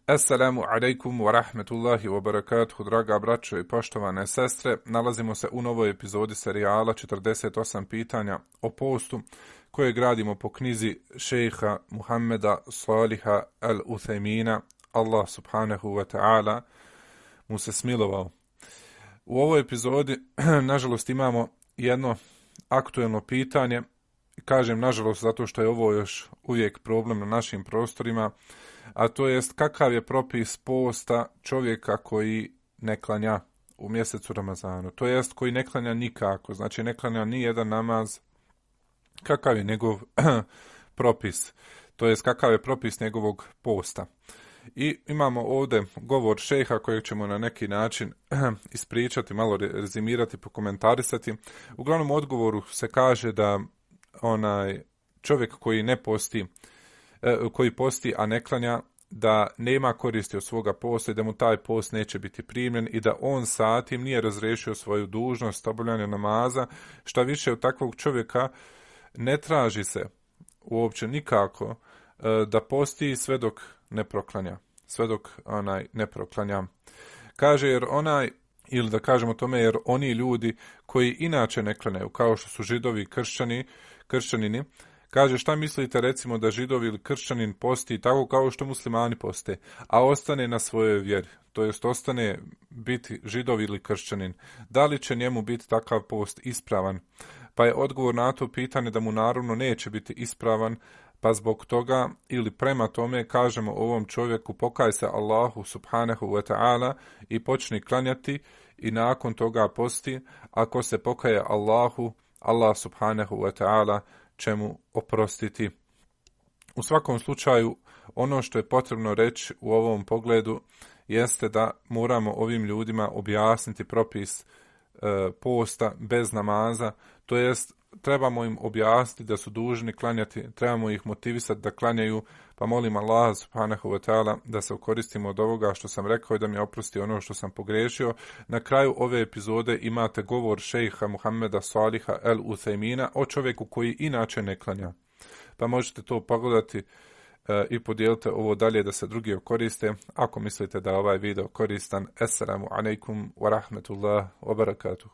Assalamu alaikum wa rahmetullahi wa barakatuhu, draga braćo i poštovane sestre. Nalazimo se u novoj epizodi serijala 48 pitanja o postu koje gradimo po knjizi šejha Muhammeda Saliha al-Uthejmina. Allah subhanahu wa ta'ala mu se smilovao. U ovoj epizodi, nažalost, imamo jedno aktuelno pitanje. Kažem nažalost zato što je ovo još uvijek problem na našim prostorima, a to jest kakav je propis posta čovjeka koji ne klanja u mjesecu Ramazanu, to jest koji ne klanja nikako, znači ne klanja ni jedan namaz, kakav je njegov propis, to jest kakav je propis njegovog posta. I imamo ovdje govor šejha kojeg ćemo na neki način ispričati, malo rezimirati, pokomentarisati. Uglavnom u odgovoru se kaže da onaj čovjek koji ne posti, koji posti a ne klanja, da nema koristi od svoga posta i da mu taj post neće biti primljen i da on sa tim nije razriješio svoju dužnost obavljanja namaza. Šta više, od takvog čovjeka ne traži se uopće nikako da posti sve dok ne proklanja. Sve dok ne proklanja. Kaže jer onaj, ili da kažemo tome, jer oni ljudi koji inače ne klanjaju, kao što su židovi, kršćanini, kaže šta mislite recimo da židovi ili kršćanin posti tako kao što muslimani poste, a ostane na svojoj vjeri, to jest ostane biti židov ili kršćanin, da li će njemu biti takav post ispravan? Pa je odgovor na to pitanje da mu naravno neće biti ispravan, pa zbog toga ili prema tome kažemo ovom čovjeku pokaj se Allahu subhanahu wa ta'ala i počni klanjati i nakon toga posti. Ako se pokaje Allahu, Allah subhanahu wa ta'ala će mu oprostiti. U svakom slučaju, ono što je potrebno reći u ovom pogledu jeste da moramo ovim ljudima objasniti propis posta bez namaza, to jest trebamo im objasniti da su dužni klanjati, trebamo ih motivisati da klanjaju, pa molim Allah subhanahu wa ta'ala da se koristimo od ovoga što sam rekao i da mi oprosti ono što sam pogrešio. Na kraju ove epizode imate govor šejha Muhammeda Saliha al-Uthejmina o čovjeku koji inače ne klanja. Pa možete to pogledati i podijelite ovo dalje da se drugi koriste. Ako mislite da je ovaj video koristan, assalamu alaikum wa rahmetullah wa barakatuh.